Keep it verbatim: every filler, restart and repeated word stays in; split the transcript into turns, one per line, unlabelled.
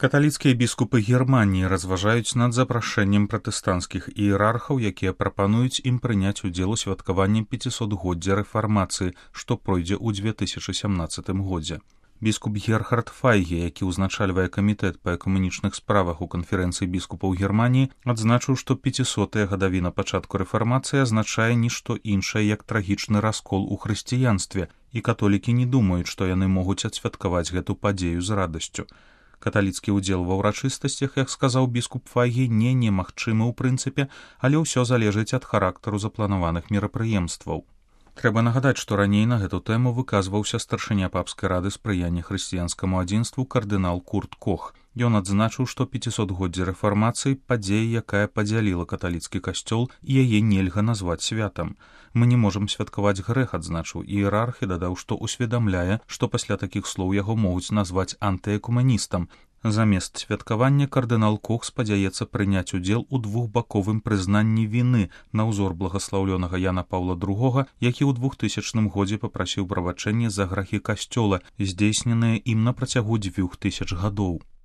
Каталіцкія біскупы Германіі разважаюць над запрашэннем пратэстанцкіх іерархаў, якія прапануюць ім прыняць удзел у святкаванні пяцісотгоддзя рэфармацыі, што пройдзе ў дзве тысячы сямнаццатым годзе. Біскуп Герхард Файге, які ўзначальвае камітэт па экумэнічных справах у канферэнцыі біскупаў Германіі, адзначыў, што пяцісотая гадавіна пачатку рэфармацыі азначае нішто іншае, як трагічны раскол у хрысціянстве, і католікі не думаюць, што яны могуць адсвяткаваць гэту падзею з радасцю. Каталіцкі ўдзел ва ўрачыстасцях, як сказаў біскуп Файге, не немагчымы ў прынцыпе, але ўсё залежыць ад характару запланаваных мерапрыемстваў. Трэба нагадаць, што раней на гэту тэму выказваўся старшыня папскай рады спрыяння хрысціянскаму адзінству кардынал Курт Кох. Ён адзначыў, што пяцісотгоддзе рэфармацыі падзея, якая падзяліла каталіцкі касцёл, і яе нельга назваць святам. Мы не можам святкаваць грэх, адзначыў іерарх, і дадаў, што ўсведамляе, што пасля такіх слоў яго могуць назваць антыэкумэністам. Замест святкавання кардынал Кох спадзяецца прыняць удзел у двухбаковым прызнанні віны на ўзор благаслаўлёнага Яна Паўла другога, які ў двухтысячным годзе папрасіў прабачэння за грахі касцёла, здзейсненыя ім на працягу дзвюх тысяч гадоў.